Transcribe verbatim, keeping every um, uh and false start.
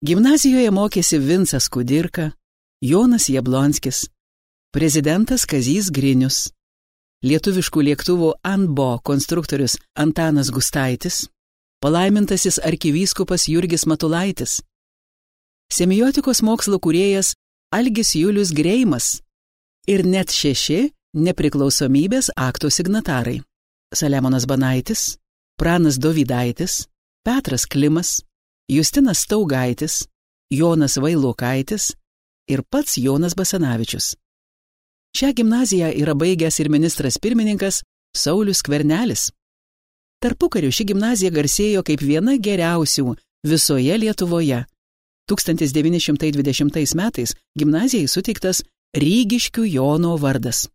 Gimnazijoje mokėsi Vincas Kudirka, Jonas Jablonskis, prezidentas Kazys Grinius, lietuviškų lėktuvų Anbo konstruktorius Antanas Gustaitis, palaimintasis arkivyskupas Jurgis Matulaitis, semiotikos mokslo kūrėjas Algis Julius Greimas ir net šeši nepriklausomybės akto signatarai – Saliamonas Banaitis, Pranas Dovydaitis, Petras Klimas, Justinas Staugaitis, Jonas Vailokaitis ir pats Jonas Basanavičius. Šią gimnaziją yra baigęs ir ministras pirmininkas Saulius Skvernelis. Tarpukariu ši gimnazija garsėjo kaip viena geriausių visoje Lietuvoje. tūkstantis devyni šimtai dvidešimtais metais gimnazijai suteiktas Rygiškių Jono vardas.